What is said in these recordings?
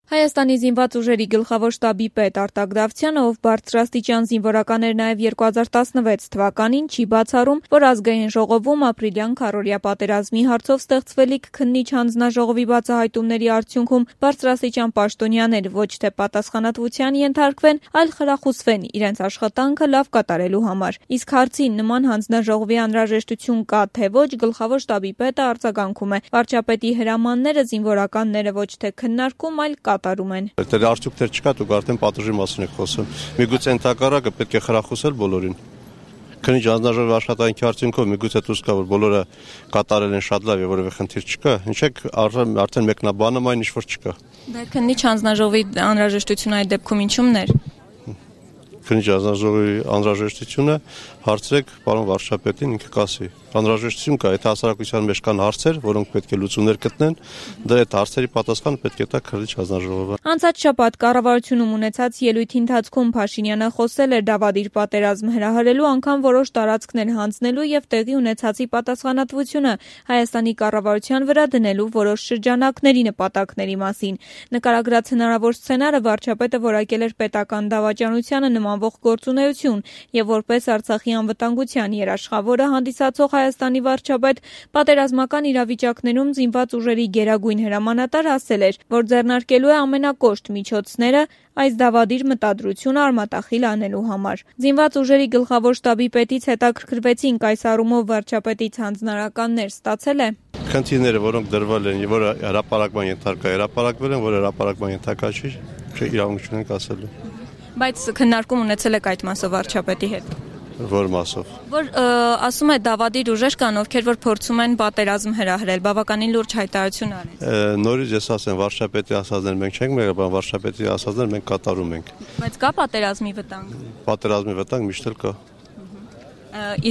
Հայաստանի զինված ուժերի գլխավոր շտաբի պետ Արտակ Դավթյանը, ով բարձրաստիճան զինվորական էր նաև 2016 թվականին, չի բացառում, որ ազգային ժողովում ապրիլյան քառօրյա պատերազմի հարցով ստեղծվելիք քննիչ հանձնաժողովի բացահայտումների արդյունքում բարձրաստիճան պաշտոնյաներ ոչ թե պատասխանատվության ենթարկվեն, այլ խրախուսվեն իրենց աշխատանքը լավ կատարելու համար։ Իսկ հարցին նման հանձնաժողովի անհրաժեշտություն կա թե ոչ, գլխավոր շտաբի պետը արձագանքում է. վարչապետի հրամանները զինվորականները ոչ թե քննարկում, այլ կատարում են։ Դեռ արդյունքներ չկա, դուք արդեն պատժի մասին եք խոսում։ Միգուցե ընդհակառակը պետք է խրախուսել բոլորին։ Քննիչ հանձնաժողովի աշխատանքի արդյունքով միգուցե դուրս գա, որ բոլորը կատարել են շատ լավ եւ որևէ խնդիր չկա։ Ինչեք արդեն մեկնաբանում այն ինչ որ չկա։ Դա քննիչ հանձնաժողովի անհրաժեշտությունը այդ դեպքում ինչումն էր։ Քննիչ հանձնաժողովի անհրաժեշտությունը հարցրեք պարոն վարչապետին, ինքը կասի։ Անհրաժեշտություն կա, եթե հասարակության մեջ կան հարցեր, որոնք պետք է լուծումներ գտնեն, դա այդ հարցերի պատասխանը պետք է տա քննիչ հանձնաժողովը։ Անցած շաբաթ կառավարությունում ունեցած ելույթի ընթացքում Փաշինյանը խոսել էր դավադիր պատերազմ հրահրելու, անգամ որոշ տարածքներ հանձնելու եւ տեղի ունեցածի պատասխանատվությունը Հայաստանի կառավարության վրա դնելու որոշ շրջանակների նպատակների մասին։ Նկարագրած հնարավոր սցենարը վարչապետը որակել էր պետական դավաճանությանը նմանվող գործունեություն եւ որպես Արցախի անվտանգության երաշխավորը հանդիսացող Հայաստանի վարչապետ պատերազմական իրավիճակներում զինված ուժերի գերագույն հրամանատար ասել էր, որ ձեռնարկելու է ամենակոշտ միջոցները այս դավադիր մտադրությունը արմատախիլ անելու համար։ Զինված ուժերի գլխավոր շտաբի պետից հետաքրքրվեցինք այս առումով վարչապետից հանձնարարականներ ստացել է։ Խնդիրները, որոնք դրվել են, որ հրապարակման ենթարկա հրապարակվել են, որ հրապարակման ենթարկա չի, իրավունք չունենք ասելու։ Բայց քննարկում ունեցել եք այդ մասով վարչապետի հետ։ Որ մասով։ Որ ասում է դավադիր ուժեր կան, ովքեր որ փորձում են պատերազմ հրահրել, բավականին լուրջ հայտարարություն արել։ Նորից ես ասեմ, վարչապետի ասածներ մենք չենք մերել, բայց վարչապետի ասածներ մենք կատարում ենք։ Բայց կա պատերազմի վտանգ։ Պատերազմի վտանգ միշտ էլ կա։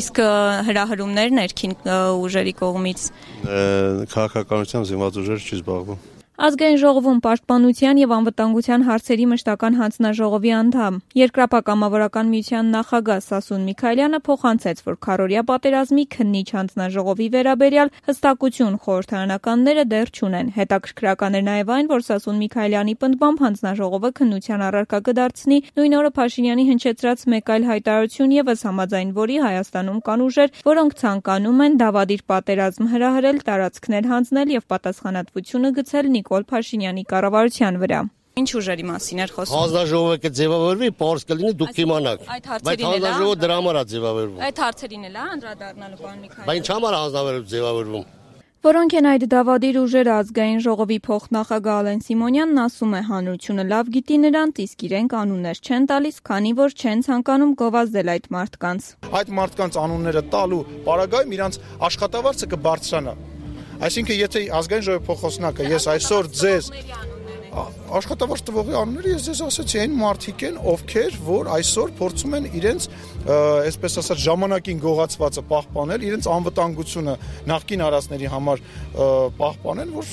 Իսկ հրահրումներ ներքին ուժերի կողմից քաղաքականությամբ զինված ուժերը չի զբաղվում։ Ազգային ժողովում պաշտպանության եւ անվտանգության հարցերի մշտական հանձնաժողովի անդամ Երկրապահ-կամավորական միության նախագահ Սասուն Միքայելյանը փոխանցեց, որ քառօրյա պատերազմի քննիչ հանձնաժողովի վերաբերյալ հստակություն խորհրդարանականները դեռ չունեն։ Հետաքրքրական էր նաեւ այն, որ Սասուն Միքայելյանի պնդմամբ հանձնաժողովը քննության առարկա կդարձնի նույն օրը Փաշինյանի հնչեցրած մեկ այլ հայտարարություն եւս համաձայն որի Հայաստանում կան ուժեր, որոնք ցանկանում են դավադիր պատերազմ հրահրել, տարածքներ հանձնել եւ պատասխանատվությունը գցել Նիկոլ Փաշինյանի կառավարության վրա։ Ինչ ուժերի մասին էր խոսում։ Հանձնաժողովը կձևավորվի, պարզ կլինի, դուք կիմանաք։ Բայց հանձնաժողովը դրա համար է ձևավորվում։ Այդ հարցերին էլ է անդրադառնալու պարոն Միքայելյան։ Բայց ինչ համար հանձնաժողովը ձևավորվում։ Որոնք են այդ դավադիր ուժերը, ազգային ժողովի փոխնախագահ Ալեն Սիմոնյանն ասում է, հանրությունը լավ գիտի նրանց, իսկ իրենք անուններ չեն տալիս, քանի որ չեն ցանկանում գովազդել այդ մարդկանց։ Այդ մարդկանց անունները տալու պարագայում իրանց աշխատավարձը կբարձրանա։ Այսինքն, եթե ազգային ժողովի փոխոսնակը ես այսօր ձեզ աշխատավարձ տվողի անունները ես ձեզ ասացի, այն մարդիկ են, ովքեր որ այսօր փորձում են իրենց, այսպես ասած, ժամանակին գողացվածը պահպանել, իրենց անվտանգությունը նախկին արածների համար պահպանել, որ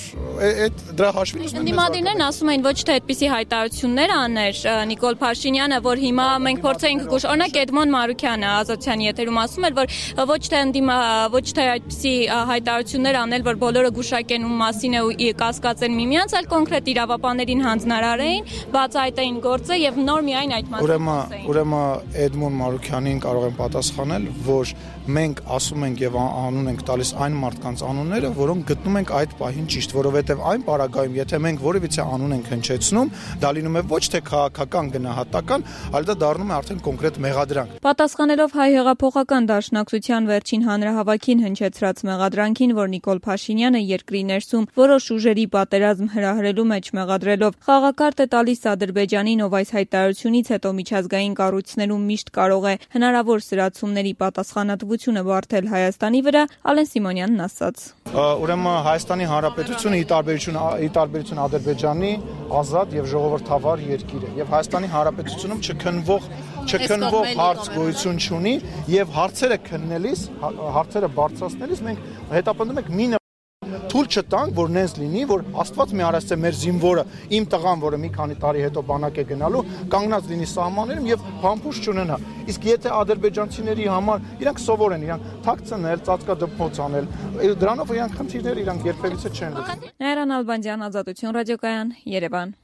այդ դրա հաշվին ուզում են։ Դիմադիրներն ասում են ոչ թե այդպիսի հայտարարություններ աներ Նիկոլ Փաշինյանը, որ հիմա մենք փորձենք օրինակ Էդմոն Մարուքյանը Ազատության եթերում ասում էր, որ ոչ թե այդպիսի հայտարարություններ անել, որ բոլորը գուշակեն ում մասին է ու կասկածեն միմյանց, այլ կոնկրետ իրավապաններին հանձնարարեին, բացահայտեին գործը եւ նոր միայն այդ մասին։ Ուրեմն Էդմոն Մարուքյանին կարող եմ պատասխանել, որ մենք ասում ենք եւ անուն ենք տալիս այն մարդկանց անունները, որոնք գտնում ենք այդ պահին ճիշտ, որովհետեւ այն պարագայում, եթե մենք որևիցե անուն ենք հնչեցնում, դա լինում է ոչ թե քաղաքական գնահատական, այլ դա դառնում է արդեն կոնկրետ մեղադրանք։ Պատասխանելով Հայ հեղափոխական դաշնակցության վերջին հանրահավաքին հնչեցրած մեղադրանքին, որ Նիկոլ Փաշինյանը երկրի ներսում որոշ ուժերի պատերազմ հրահրելու մեջ մեղադրելով խաղակարտ է տալիս Ադրբեջանին, ով այս հայտարարությունից հետո միջազգային կառույցներում միշտ կարող է հնարավոր սրացումների պատասխանատվությունը բարթել Հայաստանի վրա, Ալեն Սիմոնյանն ասաց. Ուրեմն Հայաստանի Հանրապետությունը ի տարբերություն Ադրբեջանի ազատ եւ ժողովրդավար երկիր է եւ Հայաստանի Հանրապետությունում չքննվող հարց գոյություն չունի եւ հարցերը քննելիս, հարցերը բարձրացնելիս մենք հետապնդում ենք մի թույլ չտանք, որ նենց լինի, որ Աստված մի արած է մեր զինվորը, իմ տղան, որը մի քանի տարի հետո բանակ է գնալու, կանգնած լինի սահմաններում եւ փամփուշտ չունենա։ Իսկ եթե ադրբեջանցիների համար իրանք սովոր են, իրանք թաքցնել, ծածկադպրոց անել, դրանով իրանք խնդիրներ իրանք երբևիցե չեն լուծում։ Նաիրա Նալբանդյան, Ազատություն ռադիոկայան, Երևան։